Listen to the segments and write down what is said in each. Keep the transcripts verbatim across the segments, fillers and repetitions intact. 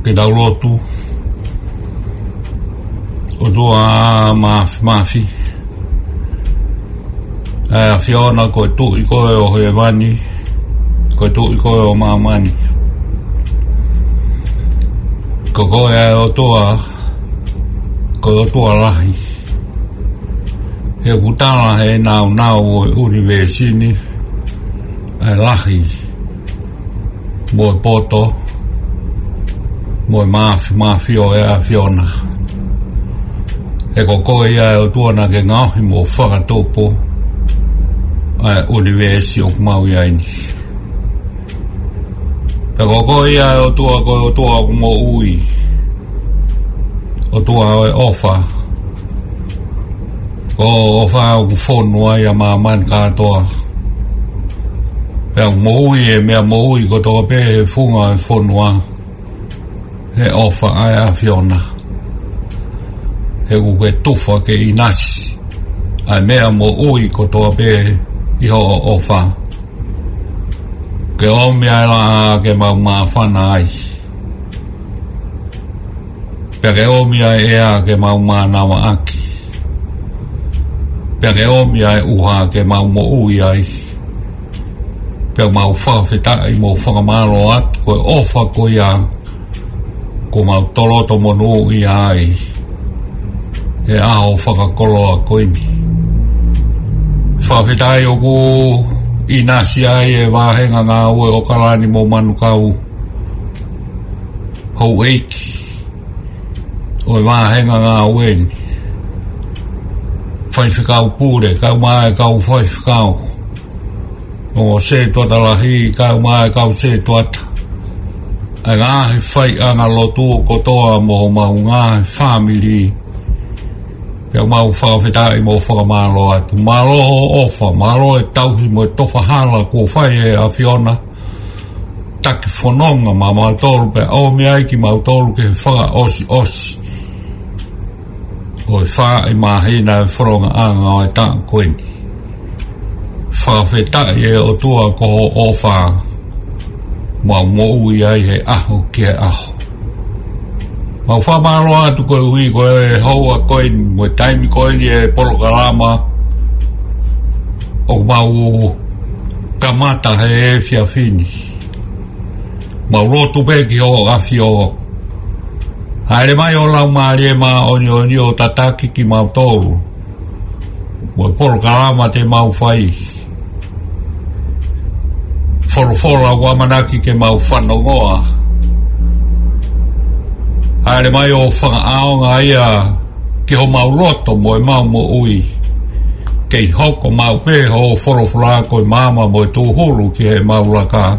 Ke tau lotu. ʻOtua Māfimafi, ʻa e ʻAfiona, ko e Tuʻi koe ʻo hēvani, ko e Tuʻi koe ʻo māmani. Ko koe ʻa e ʻOtua, ko e ʻOtua lahi. He ʻoku tala ʻe he nāunau ʻo e ʻunivēsi ni ʻa e lahi mo e poto, mo e māfimafi ʻo e ʻAfiona. He ko koe ia ʻa e ʻOtua naʻa ke ngaohi mo fakatupu ʻa e ʻunivēsi ʻoku mau ʻi ai ni. Pea ko koe ia ʻa e ʻOtua, ko e ʻOtua ʻoku moʻui, ʻOtua ʻo e ʻofa. Ko hoʻo ʻofa ʻoku fonu ai ʻa māmani kātoa. Pea ʻoku moʻui e meʻa moʻui kotoa pē he funga ʻo e fonua he ʻofa ʻa e ʻAfiona. He ʻoku ke tufa ke ʻinasi ʻa e meʻa moʻui kotoa pē ʻi hoʻo ʻofa. Ke ʻomi ʻa e laʻā ke mau māfana ai. Pea ke ʻomi ʻa e ʻea ke mau mānavaʻaki. Pea ke ʻomi ʻa e ʻuha ke mau moʻui ai. Pea mau fakafetaʻi mo fakamālō atu ko e ʻofa ko ia kuo mau toloto monūʻia ai he ʻaho fakakoloa ko eni. Fakafetaʻi ʻoku ʻinasi ai e vāhenga ngāue ʻo ʻOkalani mo Manukau, houʻeiki ʻo e vāhenga ngāue ni, faifekau pule, kau mai kau faifekau, ongo sētuata lahi, kau mai kau sētuata, ʻa e ngaahi faiʻanga lotu kotoa mo homau ngaahi fāmili. Pea mau fakafetaʻi mo fakamālō atu. Mālō hoʻo ʻofa, mālō e tauhi mo e tofahala kuo fai ʻe he ʻAfiona. Taki fononga maʻamautolu pea ʻomi ai kimautolu ki he fakaʻosiʻosi ʻo e fā ʻi māhina e fonongaʻanga ʻo e taʻu ko eni. Fakafetaʻi ʻe ʻOtua ko hoʻo ʻofa mau moʻui ai he ʻaho ki he ʻaho. Mau fakamālō atu koeʻuhi ko e houa ko eni mo e taimi ko eni e polokalama ʻoku mau kamata he efiafi ni. Mau lotu pē ki hoʻo ʻAfio. Hāʻele mai ho Laumālie Māʻoniʻoni ʻo tataki kimautolu mo e polokalama te mau fai. Folofola ʻoku ʻamanaki ke mau fanongoa. Hāʻele mai ʻo fakaʻaonga ia ki homau loto mo ʻemau moʻui. Kei hoko maʻu pē hoʻo folofola ko e maama mo e tūhulu ki heʻemau laka.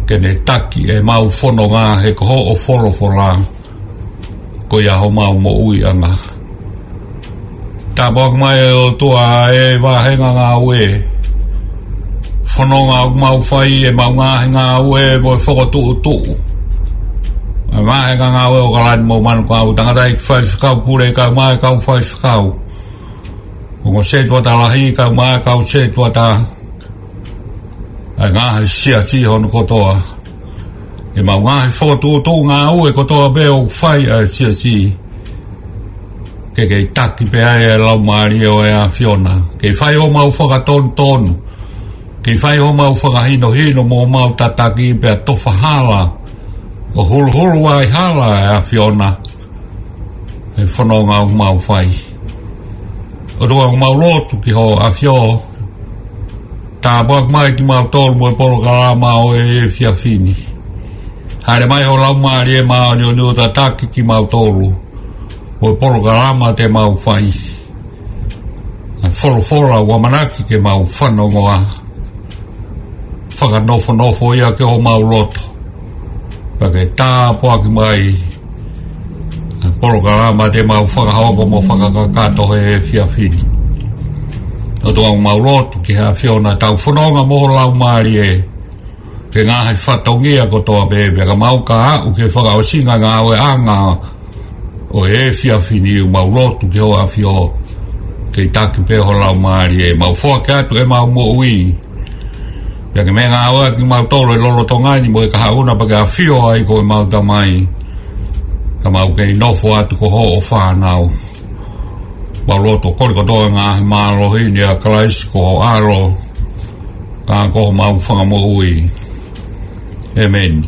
Ke ne taki ʻemau fononga he ko hoʻo folofola ko ia homau moʻuiʻanga. Tāpuaki mai ʻe ʻOtua e vāhenga ngāue, fononga ʻoku mau fai, ʻemau ngaahi ngāue mo e fokotuʻutuʻu ʻa e vāhenga ngāue ʻo ʻOkalani mo Manukau, tangataʻeiki faifekau pule kau mai kau faifekau, ongo sētuata lahi kau mai kau sētuata, ʻa e ngaahi siasi hono kotoa, ʻemau ngaahi fokotuʻutuʻu ngāue kotoa pē ʻoku fai ʻa e siasi. Ke kei taki pē ai e Laumālie ʻo e ʻAfiona. Kei fai homau fakatonutonu, kei fai homau fakahinohino mo homau tataki pea tofahala ʻo huluhulu ai hala e ʻAfiona he fononga ʻoku mau fai. ʻOtua, ʻoku mau lotu ki hoʻo ʻAfio, tāpuaki mai kimautolu mo e polokalama ʻo e efiafi ni. Hāʻele mai ho Laumālie Māʻoniʻoni ʻo tataki kimautolu mo e polokalama te mau fai. ʻA e folofola ʻoku ʻamanaki ke mau fanongoa, fakanofonofo ia ki homau loto. Pea ke tāpuaki mai ʻa e polokalama te mau fakahoko mo fakakakato he efiafi ni. ʻOtua, ʻoku mau lotu ki he ʻAfiona, tau fononga mo ho Laumālie ki he ngaahi fatongia kotoa pē, pea ka mau ka aʻu ki he fakaʻosinga ngāueʻanga ʻo e efiafi ni, ʻoku mau lotu ki hoʻo ʻAfio, kei taki pē ho Laumālie. Mau foaki atu ʻemau moʻui Pea ke meʻangāueʻaki kimautolu ʻi he lolotonga ni mo e kahaʻu na pea ke ʻafio ai ko ʻemau Tamai, ka mau kei nofo atu ko hoʻo fānau. Mau loto kole kotoa ngaahi mālohi ni ʻia Kalaisi ko ho ʻAlo, ka ko homau Fakamoʻui. ʻĒmeni.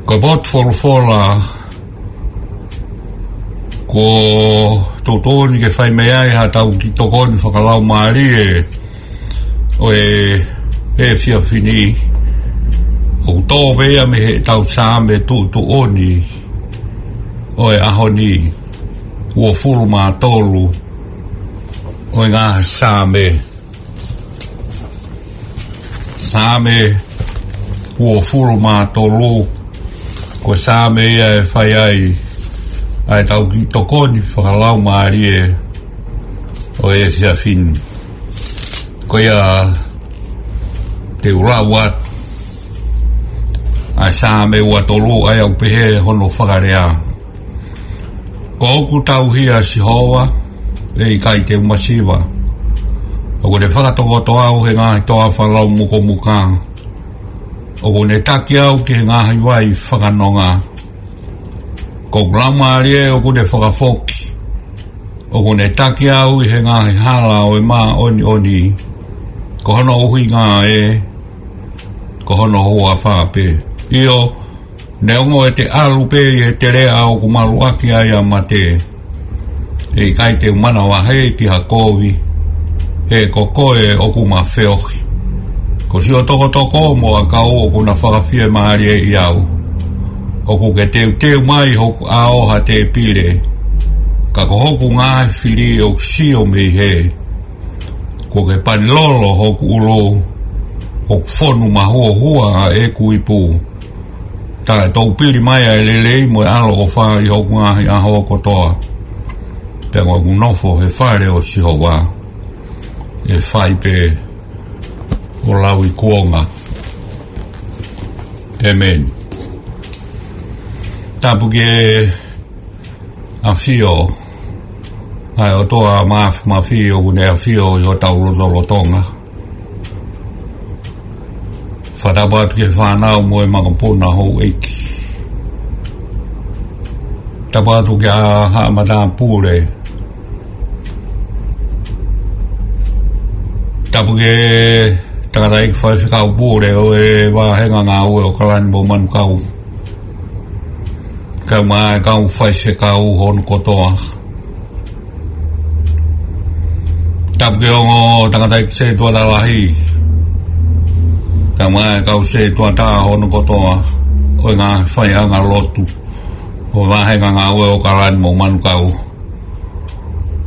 Ko e potu folofola kuo tuʻutuʻuni ke fai mei ai haʻatau kiʻi tokoni fakalaumālie ʻo e efiafi ni, ʻoku tō pē ia mei heʻetau Saame tuʻutuʻuni ʻo e ʻaho ni, uofulu mā tolu ʻo e ngaahi Saame. Saame uofulu mā tolu, ko e Saame ia ʻe fai ai ʻa ʻetau kiʻi tokoni fakalaumālie ʻo e efiafi ni. Ko ia te u lau atu ʻa e Saame ua tolu, ʻa ia ʻoku pehē hono fakalea: Ko hoku tauhi ʻa Sihova, ʻe ʻikai te u masiva. ʻOku ne fakatokoto au he ngaahi toafa laumukomuka. ʻOku ne taki au ki he ngaahi vai fakanonga. Ko hoku laumālie ʻoku ne fakafoki. ʻOku ne taki au ʻi he ngaahi hala ʻo e māʻoniʻoni. Ko hono ʻuhinga ē, ko hono huafa pē. ʻIo, neongo ʻete ʻalu pē ʻi he teleʻa ʻoku maluʻaki ai ʻa mate, ʻe ʻikai te u manavahē ki ha kovi, he ko koe ʻoku ma feohi. Ko siʻo tokotoko mo ʻakau ʻoku na fakafiemālieʻi au. ʻOku ke teuteu mai hoku ʻao ha tēpile, ka ko hoku ngaahi fili ʻoku sio mei hē. Kuo ke pani lolo hoku ʻulu, ʻoku fonu mahuohua ʻa ʻeku ipu. Taʻetoupili mai ʻa e lelei mo e ʻaloʻofa ʻi hoku ngaahi ʻaho kotoa. Pea ko ʻeku nofo he fale ʻo Sihova, ʻe fai pē ʻo lauikuonga. ʻĒmeni. Tapu ki he ʻafio ʻa e ʻOtua Māfimafi, ʻoku ne ʻafio ʻi hotau lotolotonga. Fakatapu atu ki he fānau mo e makapuna houʻeiki. Tapu atu ki he haʻa matāpule. Tapu ki he tangataʻeiki faifekau pule ʻo e vāhenga ngāue ʻo ʻAokalani mo Manukau, kae ʻumaʻā e kau faifekau hono kotoa. Tapu ki he ongo tangataʻeiki setuata lahi, kae ʻumaʻā e kau setuata hono kotoa ʻo e ngaahi faiʻanga lotu ʻo e vāhenga ngāue ʻo ʻAokalani mo Manukau.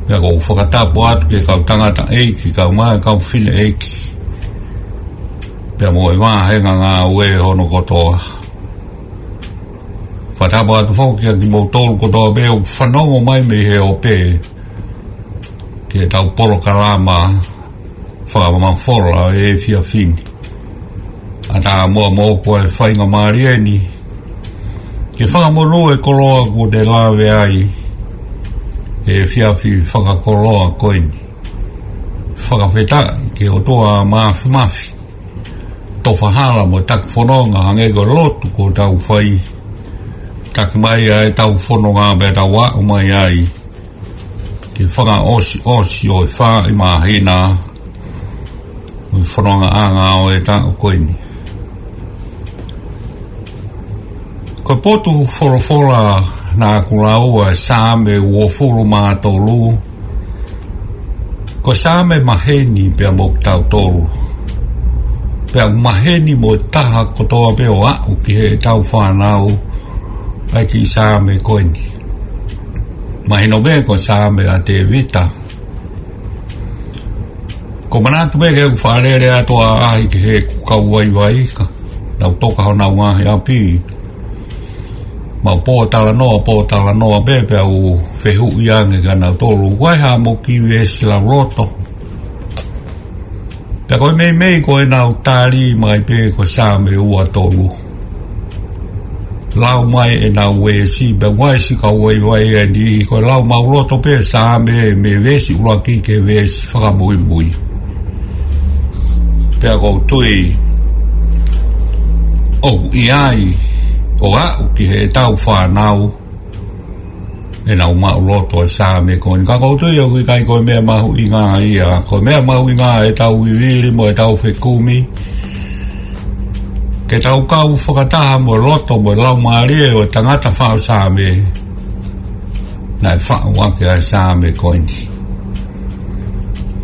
Pea ʻoku ou fakatapu atu ki he kau tangataʻeiki, kae ʻumaʻā e kau fineʻeiki, pea mo e vāhenga ngāue hono kotoa. Fakatapu atu foki kiate kimoutolu kotoa pē ʻoku fanongo mai mei he ope ki heʻetau polokalama fakamafola ʻo e efiafi ni. ʻAtā muʻa moʻoku ʻa e faingamālie ni ke fakamonū e koloa kuo te lave ai he efiafi fakakoloa ko eni. Fakafetaʻi ki he ʻOtua Māfimafi, tofa hala mo taki fononga hangē ko e lotu kuo tau fai. Taki mai ʻa ʻetau fononga pea tau aʻu mai ai ki he fakaʻosiʻosi ʻo e fā ʻi māhina ʻo e fonongaʻanga ʻo e taʻu ko eni. Ko e potu folofola naʻa ku lau, ʻa e Saame uofulu mā tolu, ko e Saame maheni pea mo kitautolu, pea maheni mo e taha kotoa pē ʻo aʻu ki heʻetau fānau ʻa e kiʻi Saame ko eni. Mahino pē ko e Saame ʻa Tēvita. ʻOku ou manatu pē ke u fakalele atu ʻa e ʻaʻahi ki heʻeku kau vaivai ka nau toka honau ngaahi ʻapi. Mau pōtalanoa, pōtalanoa pē pea u fehuʻi ange kia nautolu, ʻoku ʻi ai haʻamo kiʻi veesi lauloto? Pea ko e meimei ko ʻenau tali mai pē ko e Saame ua tolu. lau mai ʻenau veesi, pea ʻoku ʻi ai siʻi kau vaivai ʻe niʻihi, ko e lau maʻuloto pē Saame mei he veesi ʻuluaki ki he veesi fakamuimui. Pea ʻoku ou tui ʻoku ʻi ai ʻo aʻu ki heʻetau fānau ʻenau maʻuloto e Saame ko eni. Ka ʻoku ou tui ʻoku ʻikai ko e meʻa mahuʻinga ia. Ko e meʻa mahuʻinga ʻetau vivili mo ʻetau fekumi, ke tau kau fakataha mo e loto mo e laumālie ʻo e tangata faʻu Saame naʻe faʻu ʻaki ʻa e Saame ko eni.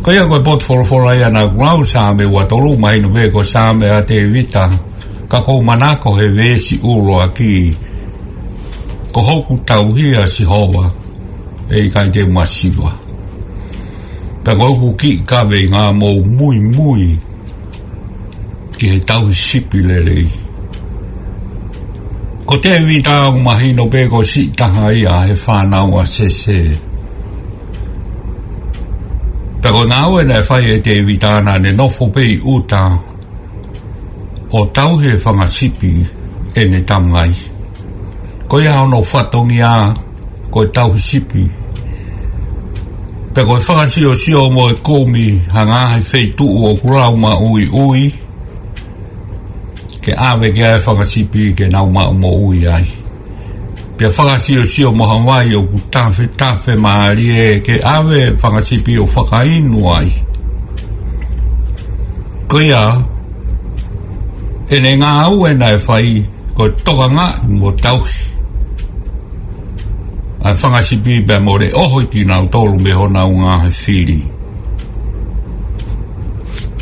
Ko ia ko e potu folofola ia naʻa ku lau, Saame ua tolu, mahino pē ko e Saame ʻa Tēvita, ka ʻoku ou manako he veesi ʻuluaki: Ko hoku tauhi ʻa Sihova, ʻe ʻikai te u masiva. Pea ko hoku kiʻi kaveinga, mou muimui ki he tauhi sipi lelei. Ko Tēvita ʻoku mahino pē ko siʻi taha ia he fānau ʻa Sese. Pea ko e ngāue naʻe fai ʻe Tēvita naʻa ne nofo pē ʻi ʻuta ʻo tauhi e fanga sipi ʻene tamai. Ko ia hono fatongia ko e tauhi sipi. Pea ko e fakasiosio mo e kumi ha ngaahi feituʻu ʻoku lau maʻuiʻui, ke ʻave ki ai e fanga sipi ke nau maʻu moʻui ai. Pea fakasiosio mo ha vai ʻoku tafetafe mālie ke ʻave e fanga sipi ʻo fakainu ai. Ko ia, ʻene ngāue naʻe fai ko e tokangaʻi mo tauhi ʻa e fanga sipi pea mo leʻohi kinautolu mei honau ngaahi fili.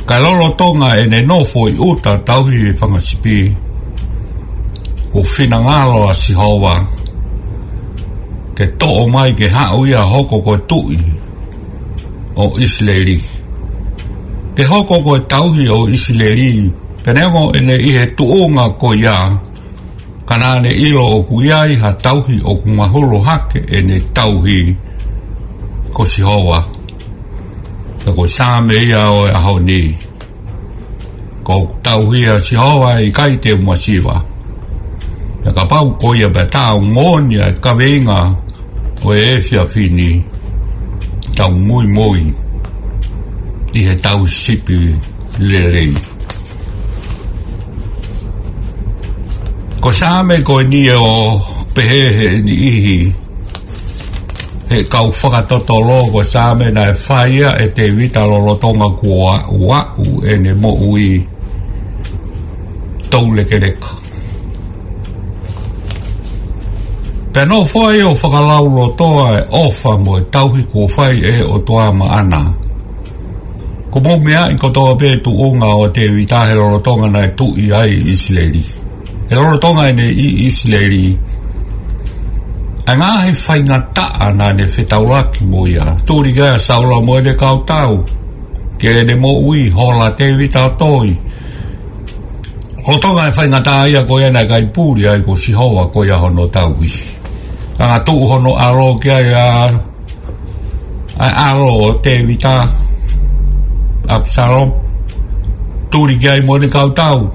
Ka lolotonga ʻene nofo ʻi ʻuta tauhi e fanga sipi, kuo finangalo ʻa Sihova ke toʻo mai ke haʻu ia ʻo hoko ko e tuʻi ʻo ʻIsileli, ke hoko ko e tauhi ʻo ʻIsileli. Pea neongo ʻene ʻi he tuʻunga ko ia, ka naʻa ne ʻilo ʻoku ʻi ai ha tauhi ʻoku mahulu hake ʻene tauhi, ko Sihova. Pea ko e Saame ia ʻo e ʻaho ni: Ko hoku tauhi ʻa Sihova, ʻe ʻikai te u masiva. Pea kapau ko ia pea tau moʻoni ʻa e kaveinga ʻo e efiafi ni, tau muimui ʻi he tauhi sipi lelei. Ko e Saame ko eni ʻoku pehē ʻe niʻihi, he kau fakatotolo, ko e Saame naʻe fai ia ʻe Tēvita lolotonga kuo aʻu ʻene moʻui toulekeleka. Pea nofo ai ʻo fakalaulotoa e ʻofa mo e tauhi kuo fai ʻe he ʻOtua maʻana. Ko e meʻa ia kotoa pē tuʻunga ʻo Tēvita he lolotonga naʻe tuʻi ai ʻi ʻIsileli. He lolotonga ʻene ʻi ʻIsileli, ʻa e ngaahi faingataʻa naʻa ne fetaulaki mo ia. Tuli ki ai ʻa Saula mo ʻene kau tau, ke ne moʻui, hola Tēvita ʻo toi. Lolotonga e faingataʻa ia ko ia naʻe ʻikai puli ai ko Sihova ko ia hono tauhi. Ka naʻe tuʻu hono ʻalo ki ai ʻa, ʻa e ʻalo ʻo Tēvita, ʻApisalome. Tuli ki ai mo ʻene kau tau,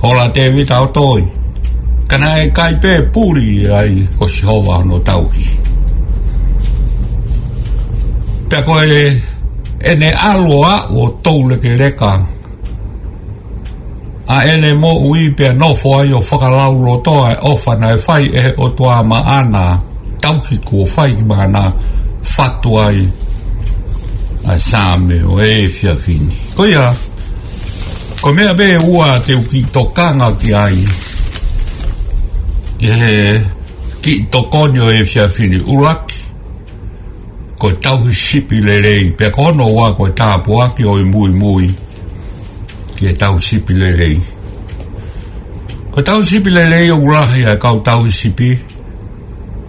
hola Tēvita ʻo toi. Ka naʻe ʻikai pē puli ai ko Sihova hono tauhi. Pea ko e, ʻene ʻalu ʻo aʻu ʻo toulekeleka ʻa ʻene moʻui pea nofo ai ʻo fakalaulotoa e ʻofa naʻe fai ʻe he ʻOtua maʻana, tauhi kuo fai maʻana, fatu ai ʻa e Saame ʻo e efiafi ni. Ko ia, ko e meʻa pē ʻe ua te u kiʻi tokanga ki ai ʻi he kiʻi tokoni ʻo e efiafi ni. ʻUluaki, ko e tauhi sipi lelei, pea ko hono ua ko e tāpuaki ʻo e muimui ki he tauhi sipi lelei. Ko e tauhi sipi lelei ʻoku lahi ʻa e kau tauhi sipi.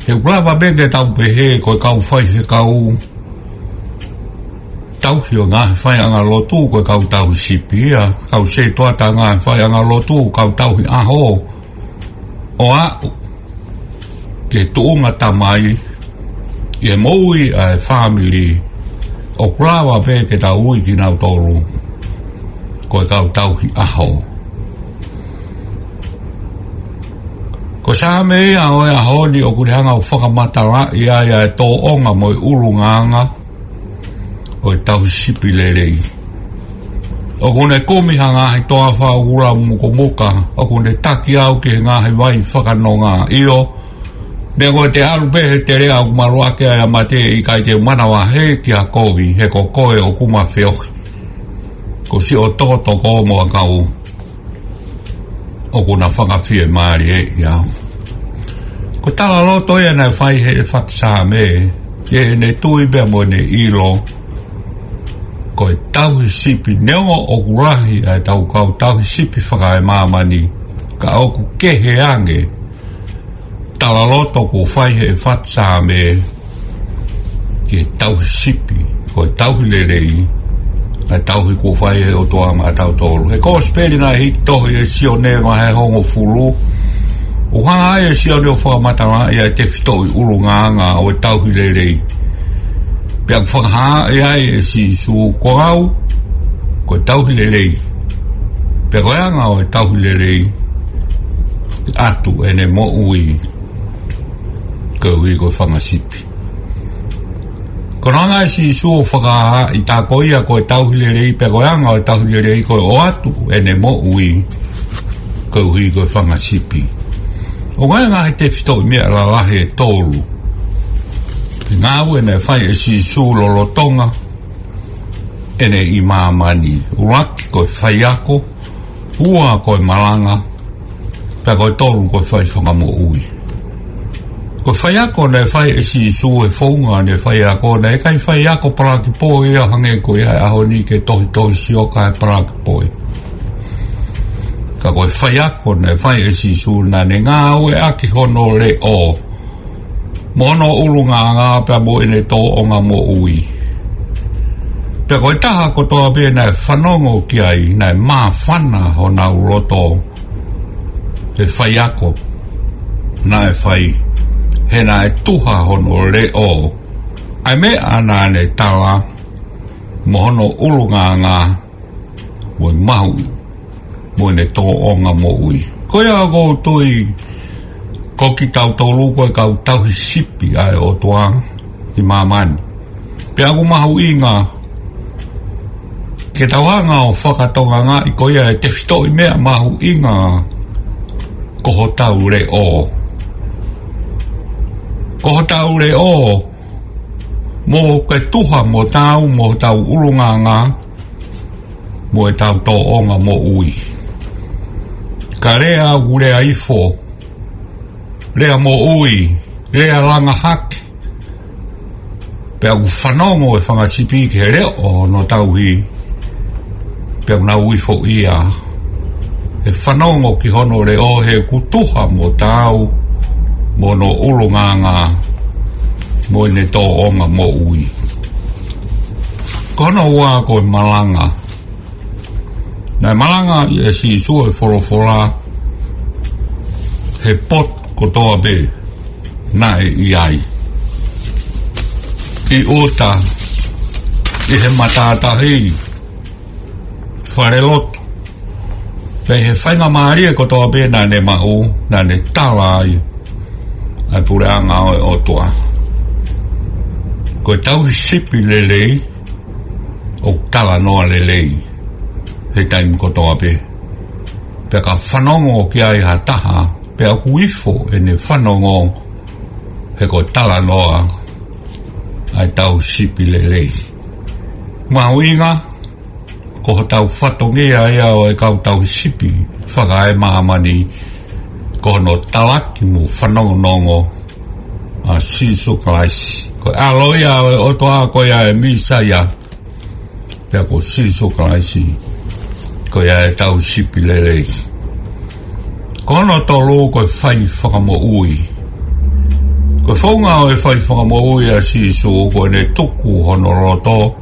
He ʻoku lava pē ke tau pehē ko e kau faifekau tauhi ʻo e ngaahi faiʻanga lotu ko e kau tauhi sipi ia, kau setuata ngaahi faiʻanga lotu, kau tauhi ʻaho ʻo aʻu ki he tuʻunga tamai ʻi he moʻui ʻa e fāmili, ʻoku lava pē ke tau ui kinautolu ko e kau tauhi ʻaho. Ko e Saame ia ʻo e ʻaho ni ʻoku ne hanga ʻo fakamatalaʻi ai ʻa e tōʻonga mo e ʻulungaanga ʻo e tauhi sipi lelei. ʻOku ne kumi ha ngaahi toafa ʻoku lau mukomuka, ʻoku ne taki au ki he ngaahi vai fakanonga. ʻIo, neongo te u ʻalu pē he teleʻa ʻoku maluʻaki ai ʻa mate, ʻikai te u manavahē ki ha kovi, he ko koe ʻoku ma feohi. Ko siʻo tokotoko mo ʻakau ʻoku na fakafiemālieʻi au. Ko e talaloto ia naʻe fai he ʻEfata Saame, ʻi heʻene tui pea mo ʻene ʻilo, ko e tauhi sipi, neongo ʻoku lahi ʻa e tau kau tauhi sipi fakaemāmani, ka ʻoku kehe ange talaloto kuo fai he ʻEfata Saame ki he tauhi sipi, ko e tauhi lelei, ʻa e tauhi kuo fai he ʻOtua maʻatautolu. He Kosipeli naʻe hiki tohi ʻe Sione vahe hongofulu, ʻoku hanga ai ʻe Sione ʻo fakamatalaʻi ʻa e tefitoʻi ʻulungaanga ʻo e tauhi lelei. Pea ʻoku fakahā ai ʻe Sīsū, ko au, ko e tauhi lelei. Pea ko e anga ʻo e tauhi lelei, ʻatu ʻene moʻui koeʻuhi ko e fanga sipi. Ko hono anga ʻe Sīsū ʻo fakahā ʻi tā ko ia ko e tauhi lelei, pea ko e anga ʻo e tauhi lelei ko e ʻoatu ʻene moʻui koeʻuhi ko e fanga sipi. ʻOku ʻi ai e ngaahi tefitoʻi meʻa lalahi ʻe tolu ʻi he ngāue naʻe fai ʻe Sīsū lolotonga ʻene ʻi māmani. ʻUluaki ko e faiako, ua ko e malanga, pea ko e tolu ko e fai fakamoʻui. Ko e faiako naʻe fai ʻe Sīsū, he founga ʻene faiako, naʻe ʻikai faiako palakipoi ia hangē ko ia he ʻaho ni ke tohitohi sio kae palakipoi. Ka ko e faiako naʻe fai ʻe Sīsū naʻa ne ngāueʻaki hono leʻo mo hono ʻulungaanga pea mo ʻene tōʻonga moʻui. Pea ko e taha kotoa pē naʻe fanongo ki ai, naʻe māfana honau loto he faiako naʻe fai, he naʻe tuha hono leʻo ʻa e meʻa naʻa ne tala, mo hono ʻulungaanga, mo e mahuʻi, mo ʻene tōʻonga moʻui. Ko ia ʻoku ou tui ko kitautolu ko e kau tauhi sipi ʻa e ʻOtua ʻi māmani. Pea ʻoku mahuʻinga ke tau hanga ʻo fakatongangaʻi ko ia e tefitoʻi meʻa mahuʻinga, ko hotau leʻo. Ko hotau leʻo, mo ke tuha mo tau, mo hotau ʻulungaanga, mo ʻetau tōʻonga moʻui. Ka lea ʻoku lea ifo, lea moʻui, lea langa hake, pea ʻoku fanongo e fanga sipi ki he leʻo hono tauhi, pea ʻoku nau ifoʻia he fanongo ki hono leʻo, he ʻoku tuha mo tau, mo hono ʻulungaanga, mo ʻene tōʻonga moʻui. Ko hono ua ko e malanga. Naʻe malanga ʻe Sīsū e folofola he potu kotoa pē naʻe ʻi ai. ʻI ʻuta, ʻi he matātahi, falelotu, pea ʻi he faingamālie kotoa pē naʻa ne maʻu, naʻa ne tala ai ʻa e puleʻanga ʻo e ʻOtua. Ko e tauhi sipi lelei, ʻoku talanoa lelei he taimi kotoa pē. Pea ka fanongo ki ai ha taha, pea ʻoku ifo ʻene fanongo, he ko e talanoa ʻa e tauhi sipi lelei. Mahuʻinga, ko hotau fatongia ia ʻo e kau tauhi sipi fakaemāmani, ko hono talaki mo fanongonongo ʻa Sīsū Kalaisi. Ko e ʻAlo ia ʻo e ʻOtua, ko ia e Mīsaia, pea ko Sīsū Kalaisi, ko ia e tauhi sipi lelei. Ko hono tolu ko e fai fakamoʻui. Ko e founga ʻo e fai fakamoʻui ʻa Sīsū, ko ʻene tuku hono loto,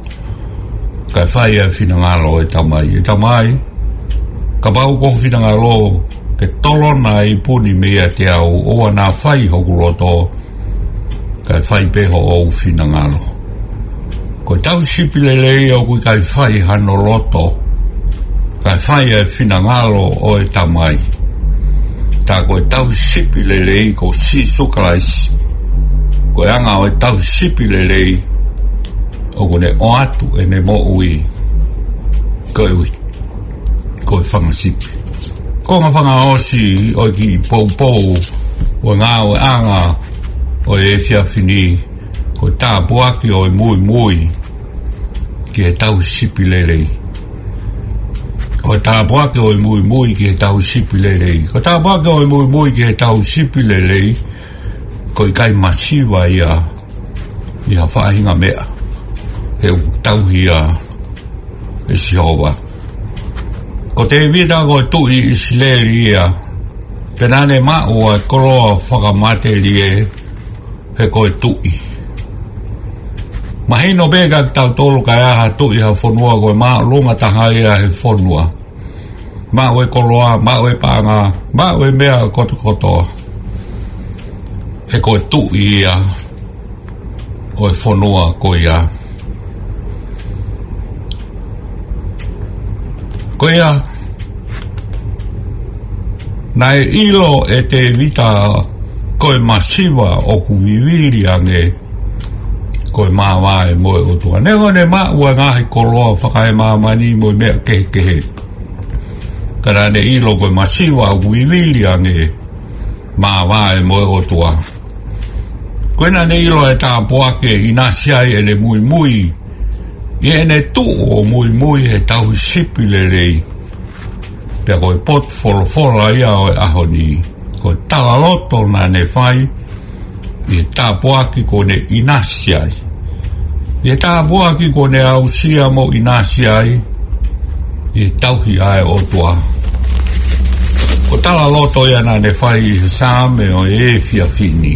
kae fai ʻa e finangalo ʻo e Tamai. ʻE Tamai, kapau ko hoʻo finangalo ke tolona ʻa e ipu ni meiate au, ʻoua naʻa fai hoku loto, kae fai pē hoʻo finangalo. Ko e tauhi sipi lelei ʻoku ʻikai fai hano loto, kae fai ʻa e finangalo ʻo e Tamai. Tā ko e tauhi sipi lelei ko Sīsū Kalaisi. Ko e anga ʻo e tauhi sipi lelei, ʻoku ne ʻoatu ʻene moʻui koeʻuhi ko e fanga sipi. Ko e ngaahi fakaʻosi ʻo e kiʻi poupou ʻo e ngāueʻanga ʻo e efiafi ni, ko e tāpuaki ʻo e muimui ki he tauhi sipi lelei. Ko e tāpuaki ʻo e muimui ki he tauhi sipi lelei. Ko e tāpuaki ʻo e muimui ki he tauhi sipi lelei, ko e ʻikai masiva ia ʻi ha faʻahinga meʻa, he ʻoku tauhi ia ʻe Sihova. Ko Tēvita ko e tuʻi ʻIsileli ia, pea naʻa ne maʻu ʻa e koloa fakamatelie, he ko e tuʻi. Mahino pē kiate kitautolu ka ʻi ai ha tuʻi ha fonua, ko e māʻolunga taha ia he fonua. Maʻu e koloa, maʻu e paʻanga, maʻu e meʻa kotokotoa, he ko e tuʻi ia ʻo e fonua ko ia. Ko ia, naʻe ʻilo ʻe Tēvita ko e masiva ʻoku vivili ange, ko e māvae mo e ʻOtua. Neongo ʻene maʻu ʻa e ngaahi koloa fakaemāmani mo e meʻa kehekehe, ka naʻa ne ʻilo ko e masiva ʻoku vivili ange, māvae mo e ʻOtua. Ko ia naʻa ne ʻilo e tāpuaki ʻe ʻinasi ai ʻene muimui, ʻi heʻene tuʻu ʻo muimui he tauhi sipi lelei. Pea ko e potu folofola ia ʻo e ʻaho ni, ko e talaloto naʻa ne fai ʻi he tāpuaki kuo ne ʻinasi ai, ʻi he tāpuaki kuo ne aʻusia mo ʻinasi ai, ʻi he tauhi ʻa e ʻOtua. Ko e talaloto ia naʻa ne fai ʻi he Saame ʻo e efiafi ni.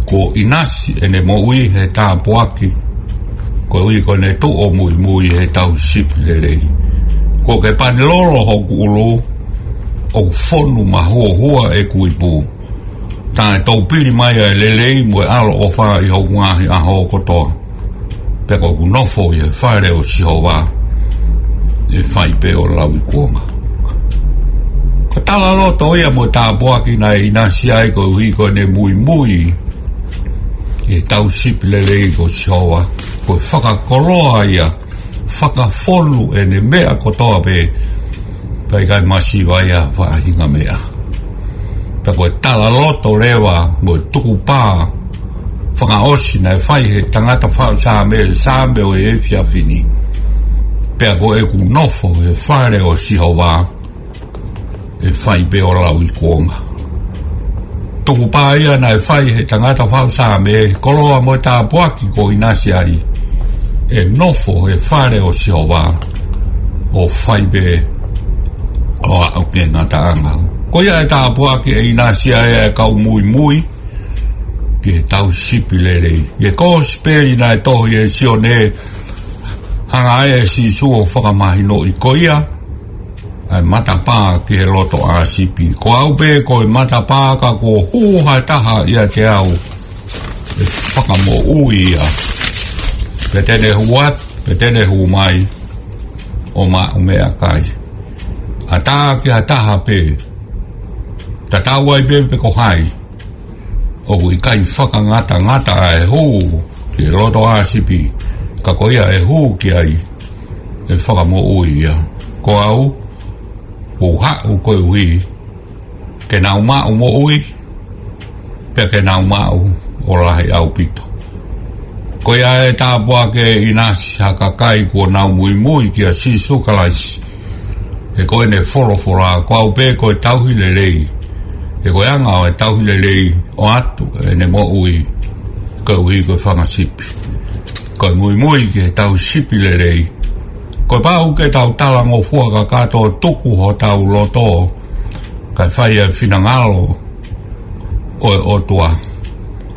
Kuo ʻinasi ʻene moʻui he tāpuaki, koeʻuhi ko ʻene tuʻu ʻo muimui he tauhi sipi lelei. Kuo ke pani lolo hoku ʻulu, ʻoku fonu mahuohua ʻeku ipu. Taʻetoupili mai ʻa e lelei mo e ʻaloʻofa ʻi hoku ngaahi ʻaho kotoa. Pea ko ʻeku nofo ʻi he fale ʻo Sihova, ʻe fai pē ʻo lauikuonga. Ko e talaloto ia mo e tāpuaki naʻe ʻinasi ai koeʻuhi ko ʻene muimui ʻi he tauhi sipi lelei ko Sihova. Ko e fakakoloa ia, fakafonu ʻene meʻa kotoa pē, pea ʻikai masiva ia faʻahinga meʻa. Pea ko e talaloto leva mo e tukupā fakaʻosi naʻe fai he tangata faʻu Saame, Saame ʻo e efiafi ni. Pea ko ʻeku nofo he fale ʻo Sihova, ʻe fai pē ʻo lauikuonga. Tukupā ia naʻe fai he tangata faʻu Saame, koloa mo e tāpuaki kuo ʻinasi ai, ʻe nofo he fale ʻo Sihova, ʻo fai pē ʻo aʻu ki he ngataʻanga. Ko ia e tāpuaki ʻe ʻinasi ai ʻa e kau muimui ki he tauhi sipi lelei. ʻI he kosipeli naʻe tohi ʻe Sione, hanga ai ʻe Sīsū ʻo fakamahinoʻi ko ia ʻa e matapā ki he loto ʻa sipi. Ko au pē ko e matapā, ka kuo hū ha taha ʻiate au, ʻe fakamoʻui ia. Pea te ne hū atu, pea te ne hū mai, ʻo maʻu meʻakai. ʻAtā ki ha taha pē, tatau ai pē pe ko hai, ʻoku ʻikai fakangatangata ʻa e hū ki he loto ʻa sipi, ka ko ia ʻe hū ki ai, ʻe fakamoʻui ia. Ko au, kuo u haʻu koeʻuhi ke nau maʻu moʻui, pea ke nau maʻu ʻo lahi ʻaupito. Ko ia e tāpuaki ʻe ʻinasi ha kakai kuo nau muimui kia Sīsū Kalaisi. He ko ʻene folofola, ko au pē ko e tauhi lelei. He ko e anga ʻo e tauhi lelei, ʻoatu ʻene moʻui koeʻuhi ko e fanga sipi. Ko e muimui ki he tauhi sipi lelei, ko e pau ke tau talangofua kakato, tuku hotau loto, kae fai ʻa e finangalo ʻo e ʻOtua.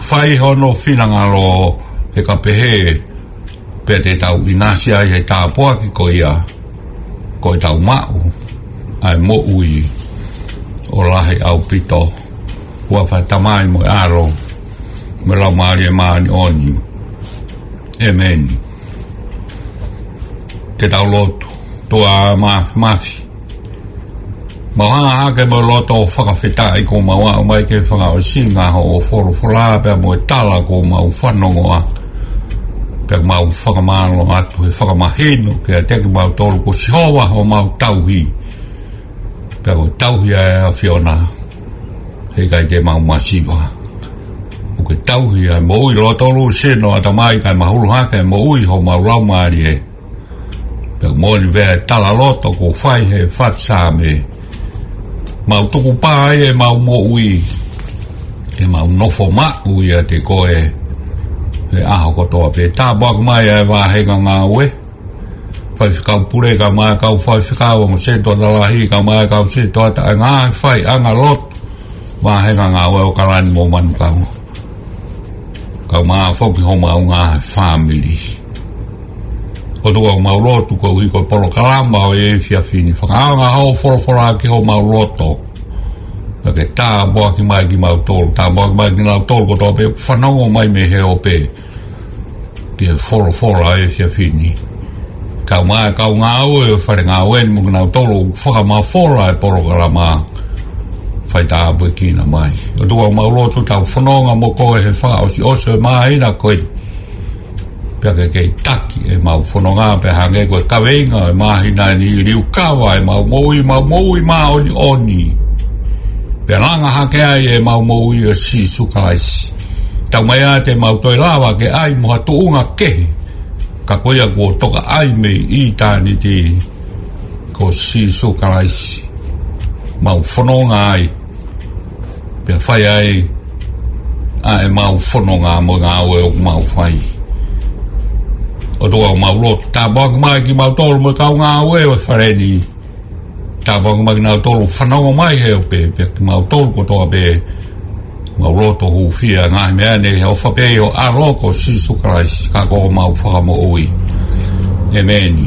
Fai hono finangalo, he ka pehē, pea te tau ʻinasi ai he tāpuaki ko ia, ko ʻetau maʻu ʻa e moʻui ʻo lahi ʻaupito. Huafa Tamai mo e ʻAlo mo e Laumālie Māʻoniʻoni. ʻĒmeni. Ke tau lotu. ʻOtua Māfimafi, Mau hanga hake mo e loto fakafetaʻi kuo mau aʻu mai ki he fakaʻosinga hoʻo folofola pea mo e tala kuo mau fanongoa. Pea mau fakamālō atu he fakamahino kiate kimautolu ko Sihova homau tauhi. Pea ko e tauhi ʻa e ʻAfiona, heʻikai te mau masiva. ʻOku ke tauhi ʻa e moʻui lotolu, sino, ʻatamai kae mahulu hake e moʻui homau laumālie. Pea moʻoni pē ʻa e talaloto kuo fai he fatu Saame. Mau tukupā ai ʻemau moʻui, ʻemau nofo maʻu ʻiate koe he ʻaho kotoa pē. Tāpuaki mai ʻa e vāhenga ngāue, faifekau pule kae ʻumaʻā e kau faifekau, ongo sētuata lahi kae ʻumaʻā e kau sētuata, ʻa e ngaahi faiʻanga lotu, vāhenga ngāue ʻo ʻAokalani mo Manukau. Kae ʻumaʻā foki homau ngaahi fāmili. ʻOtua, mau lotu koeʻuhi ko e polokalama ʻo e efiafi ni. Fakaʻaonga hoʻo folofola ki homau loto. Pea ke tāpuaki mai kimautolu, tāpuaki mai kinautolu kotoa pē ʻoku fanongo mai mei he ope ki he folofola ʻo e efiafi ni. Kae ʻumaʻā e kau ngāue ʻo e fale ngāue ni mo kinautolu ʻoku fakamafola e polokalama, fai tāpuekina mai. ʻOtua, mau lotu tau fononga mo koe he fakaʻosiʻosi ʻo e māhina ko eni. Pea ke kei taki ʻemau fononga pea hangē ko e kaveinga ʻo e māhina ni, liukava ʻemau moʻui, mau moʻui māʻoniʻoni. Pea langa hake ai ʻemau moʻui ʻo Sīsū Kalaisi. Tau mai ā te mau toe lava ke ʻai mo ha tuʻunga kehe. Ka ko ia kuo toka ai mei ʻitāniti ko Sīsū Kalaisi. Mau fononga ai. Pea fai ai ʻa ʻemau fononga mo e ngāue ʻoku mau fai. ʻOtua, mau lotu, tāpuaki mai kimautolu mo e kau ngāue ʻo e fale ni. Tāpuaki mai kinautolu fanongo mai he ope, pea kimautolu kotoa pē. Mau lotu hūfia ngaahi meʻa ni he ʻofa pē ʻo ho ʻAlo ko Sīsū Kalaisi, ka ko homau Fakamoʻui. ʻEmeni.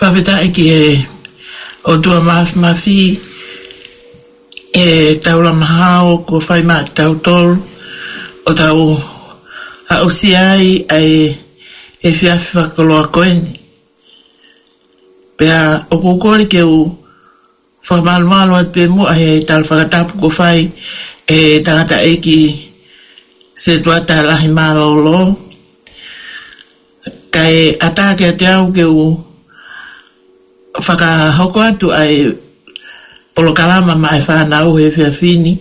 Fakafetaʻi ki he ʻOtua Māfimafi, ʻetau lama hao kuo fai maʻatautolu ʻo tau aʻusia ai ʻa e efiafi fakakoloa ko eni. Pea ʻoku ou kole ke u fakamalumalu atu pē muʻa he tala fakatapu kuo fai ʻe he tangataʻeiki sētuata lahi mālōlō. Kae ʻatā kiate au ke u fakahoko atu ʻa e polokalama maʻa e fānau he efiafi ni,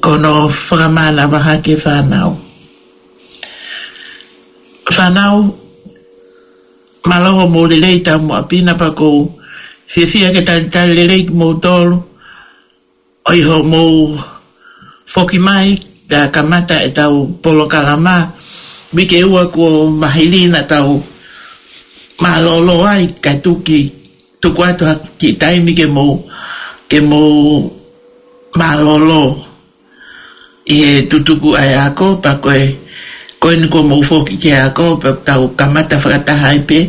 ko hono fakamānava hake e fānau. Fānau, mālō hoʻomou lelei taumuʻa pē na, pea ʻoku ou fiefia ke talitali lelei kimoutolu ʻi hoʻomou foki mai pea kamata ʻetau polokalama. Uike ua kuo maliu naʻa tau mālōlō ai, kae tuku, tuku atu ha kiʻi taimi ke mou, ke mou mālōlō ʻi he tutuku ʻa e ako, pea ko e, ko eni kuo mou foki ki he ako, pea tau kamata fakataha ai pē,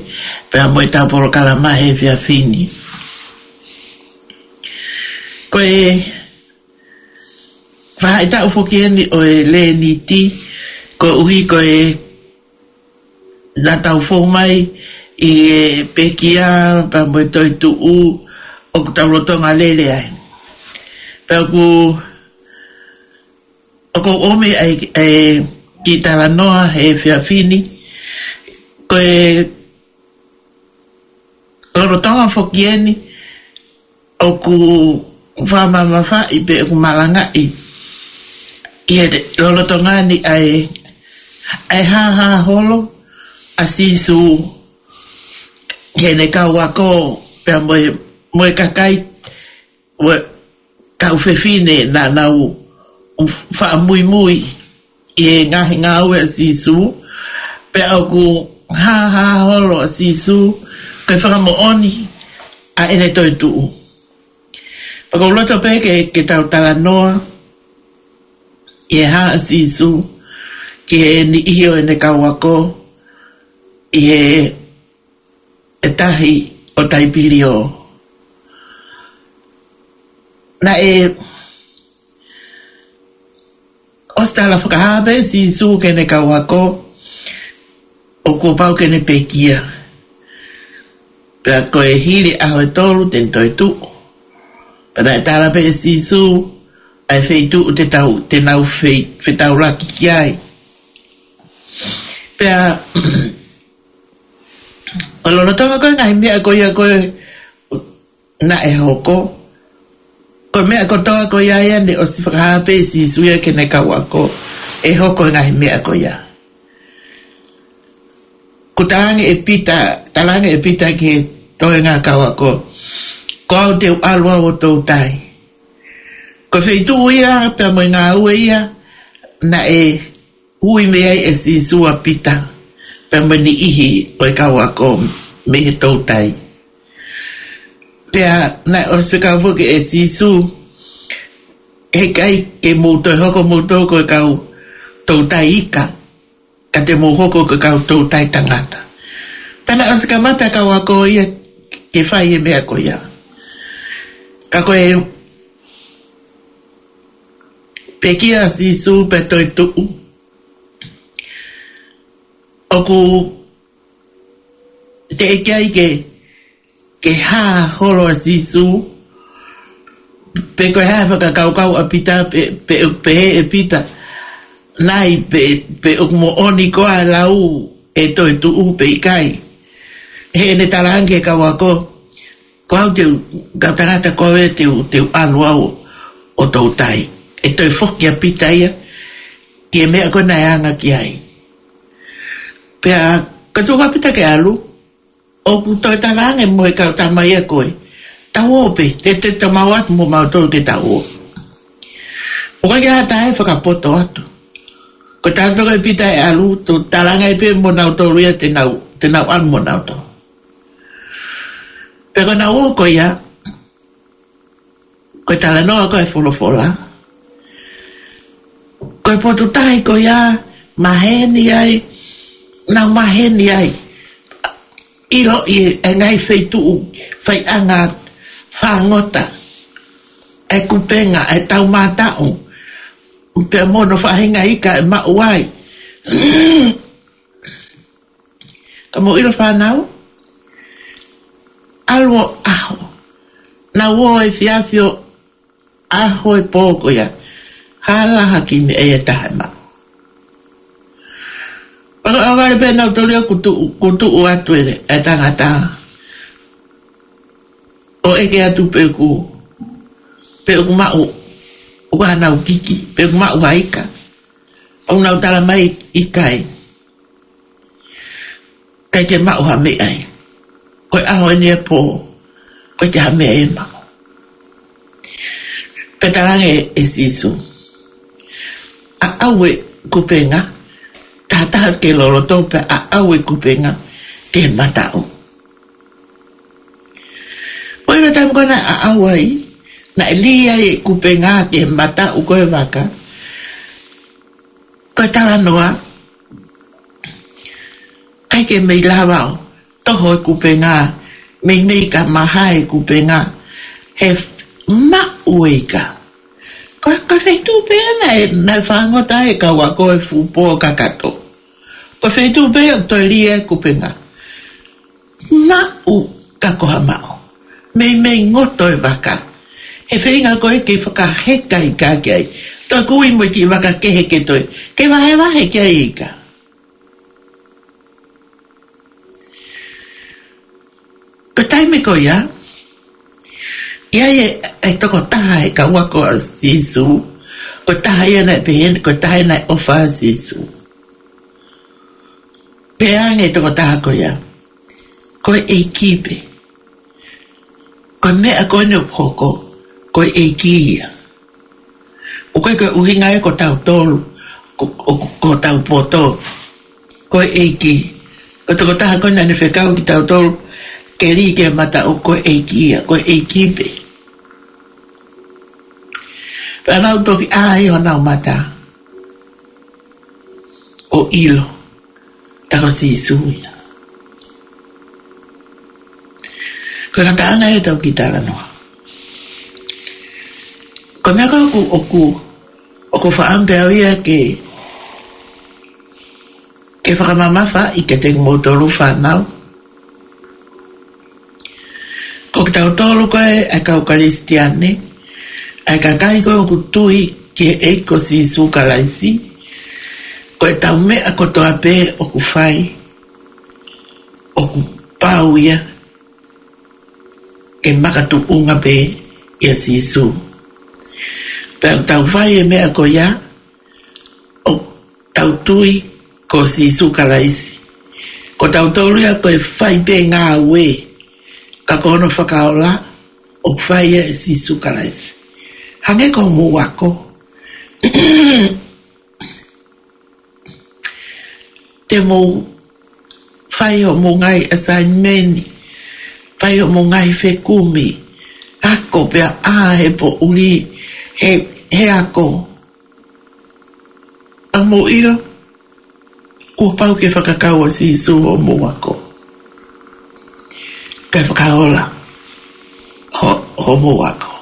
pea mo ʻetau polokalama he efiafi ni. Ko e faʻahitaʻu foki eni ʻo e Lēniti, koeʻuhi ko e naʻa tau fou mai ʻi he pekia pea mo e toetuʻu ʻoku tau lolotonga lele ai. Pea ʻoku, ʻoku ou ʻomi ʻa e, ʻa e kiʻi talanoa he efiafi ni, ko e lolotonga foki eni ʻoku fakamamafaʻi pe ʻoku malangaʻi ʻi he lolotonga ni ʻa e, ʻa e hāhā holo ʻa Sīsū heʻene kau ako pea mo e, mo e kakai, mo e kau fefine naʻa nau faʻa muimui ʻi he ngaahi ngāue ʻa Sīsū, pea ʻoku hāhā holo ʻa Sīsū ko e fakamoʻoni ʻa ʻene toetuʻu. Pea ʻoku ou loto pē ke, ke tau talanoa ʻi he hā ʻa Sīsū ki he niʻihi ʻo ʻene kau ako ʻi he ʻe tahi ʻo Taipilio. Naʻe ʻosi tala fakahā pē ʻe Sīsū ki heʻene kau ako ʻoku pau ke ne pekia. Pea ko e hili ʻaho ʻe tolu te ne toetuʻu. Pea naʻe tala pē ʻe Sīsū ʻa e feituʻu te tau, te nau fei-, fetaulaki ki ai. Pea ʻo lolotonga ko e ngaahi meʻa ko ia ko ē naʻe hoko, ko e meʻa kotoa ko ia ia ne ʻosi fakahā pē ʻe Sīsū ia ki heʻene kau ako ʻe hoko e ngaahi meʻa ko ia. Kuo talaange ʻe Pita, talaange ʻe Pita ki he toenga kau ako, ko au te u ʻalu au ʻo toutai. Ko e feituʻu ia pea mo e ngāue ia naʻe ui mei ai ʻe Sīsū ʻa Pita pea mo e niʻihi ʻo e kau ako mei he toutai. Pea naʻe ʻosi fekau foki ʻe Sīsū, heʻikai ke mou toe hoko moutolu ko e kau toutai ika, ka te mou hoko ko e kau toutai tangata. Pea naʻe ʻosi kamata kau ako ia ke fai e meʻa ko ia. Ka ko e pekia ʻa Sīsū pea toetuʻu, ʻoku teʻeki ai ke, ke hā holo ʻa Sīsū, pe ko e hā e fakakaukau ʻa Pita, pe, pe, pe ʻe Pita, nai pe, pe ʻoku moʻoni koā e lau ʻe toetuʻu pe ʻikai. Heʻene talaange ki he kau ako, ko au te u, kau tangata ko au ē te u, te u ʻalu au ʻo toutai. ʻE toe foki ʻa Pita ia ki he meʻa ko ē naʻe anga ki ai. Pea ka tuku ʻa Pita ke ʻalu, ʻoku toe talaange mo e kau tama ia ko ē, tau ō pē, te, te, te mau atu mo mautolu ke tau ō. ʻOku ʻikai ha taha ʻe fakapoto atu. Ko e taha pē ko ē ʻa Pita ʻe ʻalu, toe talaange ai pē mo nautolu ia te nau, te nau ʻalu mo nautolu. Pea ko ʻenau ō ko ia, ko e talanoa ko ē ʻa e folofola, ko e potu tahi ko ia, maheni ai, nau maheni ai. ʻIloʻi e ngaahi feituʻu, faiʻanga fāngota, e kupenga, e taumātaʻu, pea mo hono faʻahinga ika ʻe maʻu ai. Ka mou ʻilo fānau, ʻalu ʻo ʻaho, nau ō he efiafi ʻo ʻaho e pō ko ia, hala ha kiʻi meʻa ia ʻe taha ʻe maʻu. Pea ka ʻohovale pē nautolu ia kuo tuʻu, kuo tuʻu atu e, e tangata ʻo ʻeke atu pe ʻoku, pe ʻoku maʻu, ʻoku ʻi ai haʻanau kiki, pe ʻoku maʻu ha ika. ʻOku nau tala mai ʻikai. ʻIkai ke maʻu ha meʻa ia. Ko e ʻaho eni e pō, ʻoku ʻikai ha meʻa ia ʻe maʻu. Pea talaange ʻe Sīsū, ʻaʻau e kupenga, taha taha ke loloto pea ʻaʻau e kupenga ki he mataʻu. Ko e taimi ko ē naʻe ʻaʻau ai, naʻe lī ai e kupenga ki he mataʻu ko ē ʻo e vaka. Ko e talanoa, ʻikai ke mei lava ʻo toho e kupenga, meimei ka maha e kupenga, he maʻu e ika. Ko, ko e feituʻu pē ia naʻe, naʻe fāngota ai e kau ako he fuʻu pō kakato. Ko e feituʻu pē ia ʻoku toe lī ai e kupenga. Maʻu ka ko ha maʻu. meimei ngoto e vaka. He feinga ko ē ke fakaheka ika ki ai. Toe kui mo e kiʻi vaka kehe ke toe. Ke vahevahe ki ai ika. Ko e taimi ko ia, ʻi ai e, e tokotaha he kau ako ʻa Sīsū, ko e taha ia naʻe pehē, ko e taha ia naʻe ʻofa ʻa Sīsū. Pehē ange e tokotaha ko ia, ko e ʻEiki pē. Ko e meʻa ko eni ʻoku hoko, ko e ʻEiki ia. ʻOku ʻikai ko e ʻuhinga ia ko tautolu, ko, ko, ko hotau poto. Ko e ʻEiki. Ko e tokotaha ko ē naʻa ne fekau kitautolu ke lī ki he mata ʻoku ko e ʻEiki ia, ko e ʻEiki pē. Pea nau toki ʻā ʻi honau mata ʻo ʻilo. Tā ko Sīsū ia. Ko e ngataʻanga ia ʻetau kiʻi talanoa. Ko e meʻa ko ē ʻoku, ʻoku, ʻoku ou fakaʻamu pē au ia ke, ke fakamamafaʻi kiate kimoutolu fānau. Ko kitautolu ko ē ʻa e kau Kalisitiane, ʻa e kakai ko ē ʻoku tui ki he ʻEiki ko Sīsū Kalaisi, ko ʻetau meʻa kotoa pē ʻoku fai, ʻoku pau ia ke makatuʻunga pē ʻia Sīsū. Pea ʻoku tau fai e meʻa ko ia, ʻoku tau tui ko Sīsū Kalaisi. Ko tautolu ia ko e fai pē ngāue, ka ko hono fakaola, ʻoku fai ia ʻe Sīsū Kalaisi. Hangē ko hoʻomou ako. Te mou fai hoʻomou ngaahi assignment, fai hoʻomou ngaahi fekumi, ako pea ʻā he poʻuli, he, he ako. ʻA mou ʻilo, kuo pau ke fakakau ʻa Sīsū hoʻomou ako. Kae fakaola ho, hoʻomou ako.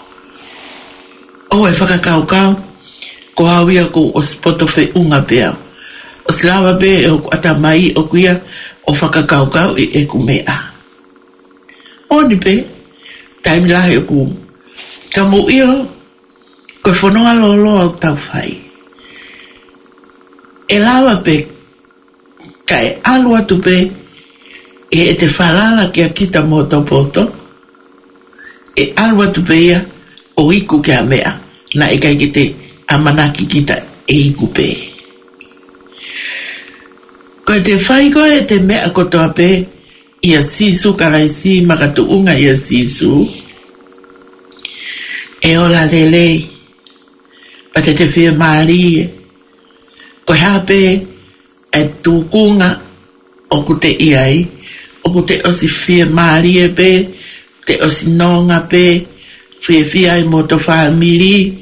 ʻOua ʻe fakakaukau, ko au ia kuo ʻosi poto feʻunga pē au. ʻOsi lava pē ʻe hoku ʻatamai ʻoku ia ʻo fakakaukauʻi ʻeku meʻa. Moʻoni pē, taimi lahi ʻoku, ka mou ʻilo, ko e fononga lōloa ʻoku tau fai. ʻE lava pē kae ʻalu atu pē, ʻi heʻete falala kia kita mo hoto poto, ʻe ʻalu atu pē ia ʻo iku ki ha meʻa naʻe ʻikai ke te ʻamanaki kita ʻe iku pē. Ko ʻete fai ko ē ʻete meʻa kotoa pē ʻia Sīsū Kalaisi, makatuʻunga ʻia Sīsū, ʻe ola lelei, pea te te fiemālie. Ko e hā pē e tūkunga ʻoku te ʻi ai, ʻoku te ʻosi fiemālie pē, te ʻosi nonga pē, fiefia ai mo hoto fāmili.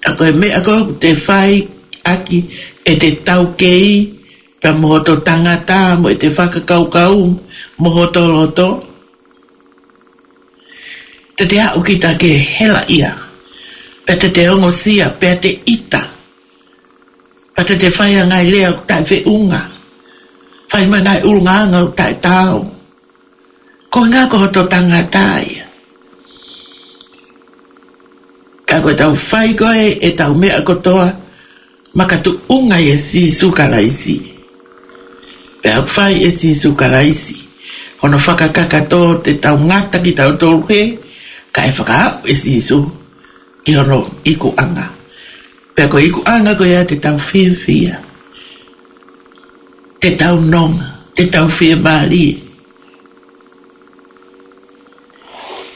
ʻA ko e meʻa ko ē ʻoku te fai ʻaki ʻete taukei, pea mo hoto tangata, mo ʻete fakakaukau, mo hoto loto. Te te aʻu kita ke hela ia, pea te te ongosia, pea te ʻita, pea te te fai ʻa e ngaahi lea ʻoku taʻefeʻunga, fai mai ngaahi ʻulungaanga ʻoku taʻetaau. Ko e ʻuhinga ko hoto tangata ia. Ka ko ʻetau fai ko ē ʻetau meʻa kotoa, makatuʻunga ʻia Sīsū Kalaisi. Pea ʻoku fai ʻe Sīsū Kalaisi hono fakakakato, te tau ngata kitautolu hē, kae fakaaʻu ʻe Sīsū ki hono ikuʻanga. Pea ko e ikuʻanga ko ia te tau fiefia, te tau nonga, te tau fiemālie.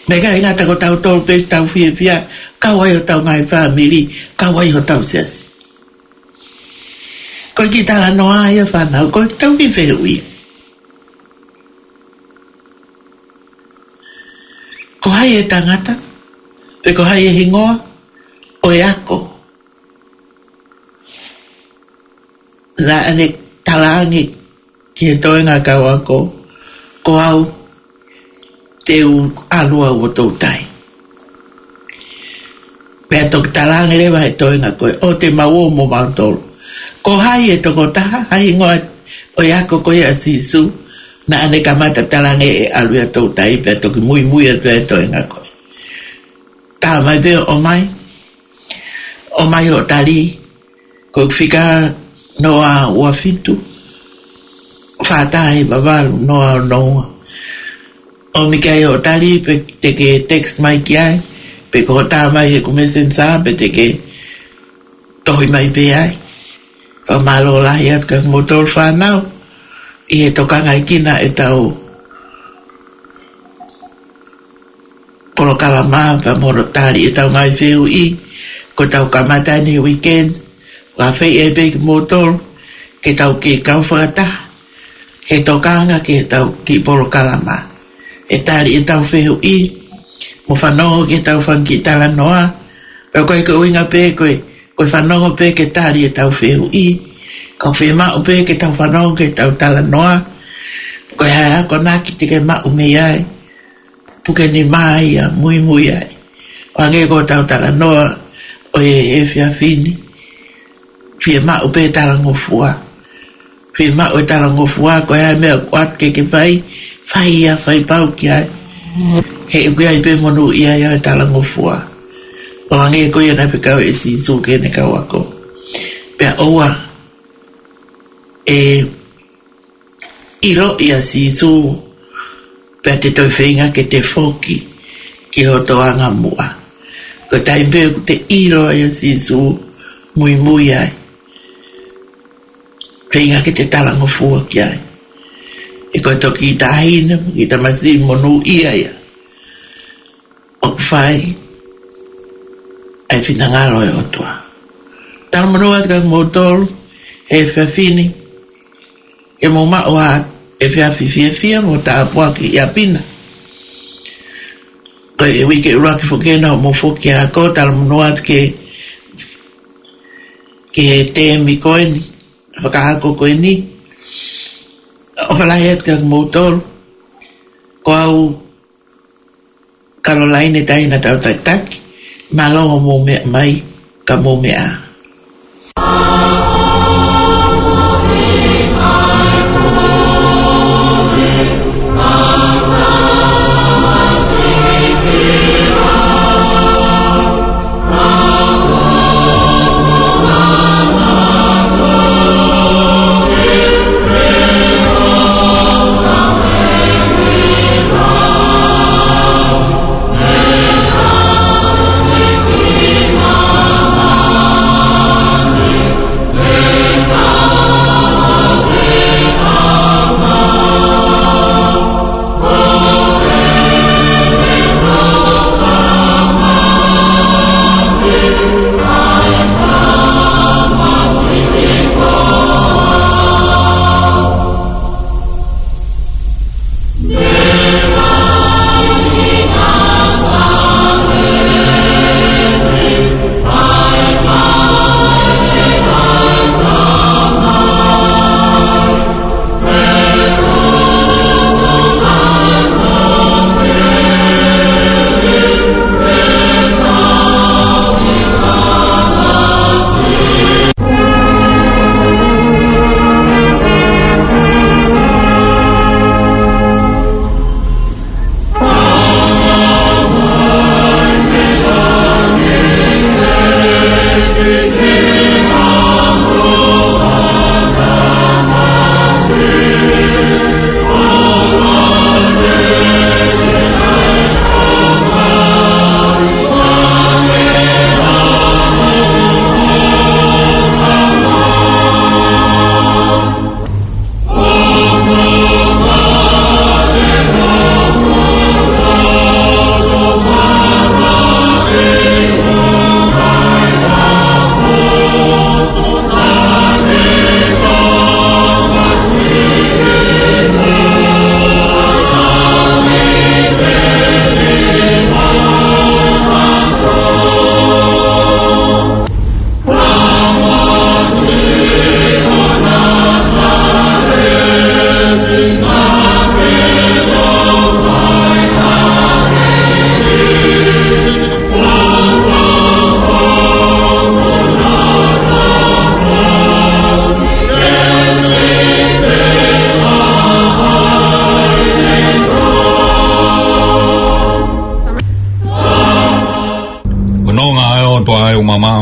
Meʻa ʻikai ngata ko tautolu pē tau fiefia, kau ai hotau ngaahi fāmili, kau ai hotau siasi. Ko e kiʻi talanoa ia fānau, ko ʻetau kiʻi fehuʻi. Ko hai e tangata, pe ko hai e hingoa ʻo e ako naʻa ne talaange ki he toenga kau ako, ko au te u ʻalu au ʻo toutai. Pea toki talaange leva he toenga ko ē, ʻoua te mau ō mo mautolu. Ko hai e tokotaha, hai hingoa ʻo e ako ko ia ʻa Sīsū, Naʻa ne kamata talaange ʻe ʻalu ia Toutai pea toki muimui atu e toenga ko ē. Tā mai pē ʻo ʻomai, ʻomai hoʻo tali, ko e fika noa ua fitu, fā taha hiva valu noa ono ua. ʻOmi ki ai hoʻo tali pe te ke text mai ki ai, pe ko hoʻo tā mai heʻeku Messenger, pe te ke tohi mai pē ai. Fakamālō lahi atu kia kimoutolu fānau, ʻi he tokangaʻi kinaua ʻetau polokalama pea mo hono tali ʻetau ngaahi fehuʻi, ko ʻetau kamata eni he weekend, ʻoku ʻafeʻi ai pē kimoutolu, ke tau kei kau fakataha, he tokanga ki heʻetau kiʻi polokalama. ʻE tali ʻetau fehuʻi, mo fanongo ki heʻetau fanga kiʻi talanoa, pea ko e ko e ʻuhinga pē ko e, ko e fanongo pē ke tali ʻetau fehuʻi, ka ʻoku fiemaʻu pē ke tau fanongo ki heʻetau talanoa, ko e hā e akonaki te ke maʻu mei ai, puke nima ia, muimui ai. ʻO hangē ko ʻetau talanoa ʻo e efiafi ni. Fiemaʻu pē talangofua. Fiemaʻu e talangofua, ko e hā e meʻa ʻoku ʻoatu ke ke fai, fai ia, fai pau ki ai. He ʻoku ʻi ai pē monūʻia ia ʻo e talangofua. ʻO hangē ko ia naʻe fekau ʻe Sīsū ki heʻene kau ako. Pea ʻoua ʻe ʻiloʻi ʻa Sīsū, pea te toe feinga ke te foki ki hoto angamuʻa. Ko e taimi pē ʻoku te ʻilo ai ʻa Sīsū, muimui ai. Feinga ke te talangofua ki ai. He ko e toki taʻahine, kiʻi tamasiʻi monūʻia ia. ʻOku fai ʻa e finangalo ʻo e ʻOtua. Talamonū atu kia kimoutolu he efiafi ni, ke mou maʻu ha efiafi fiefia mo tāpuaki ʻi ʻapi na. Ko e uike ʻuluaki foki ena ʻo mou foki ʻo ako, talamonū atu ke, ke he tēmi ko eni, fakaako ko eni. ʻOfa lahi atu kia kimoutolu. Ko au Kalolaine Taina Tautaitaki, mālō hoʻomou meʻa mai, ka mou meʻa ā.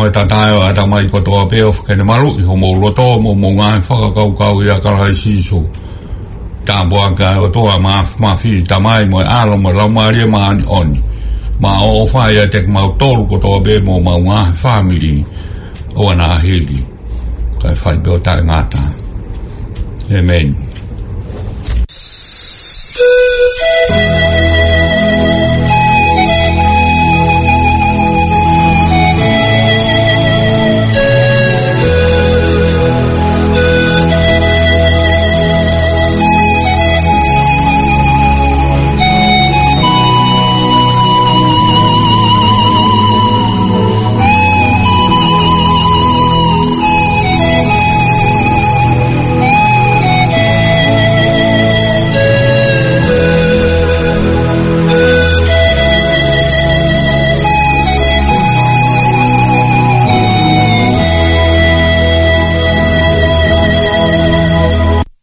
Mo e tatae ʻo e ʻatamai kotoa pē ʻofa ke ne maluʻi homou loto mo hoʻomou ngaahi fakakaukau ʻia Kalaisi Sīsū. Tāpuaki ʻa e ʻOtua Māfimafi, Tamai mo e ʻAlo mo e Laumālie Māʻoniʻoni, maʻu ʻofa ʻiate kimautolu kotoa pē mo homau ngaahi fāmili, ʻo ʻaʻana hili, kae fai pē ʻo taʻengata. ʻĒmeni.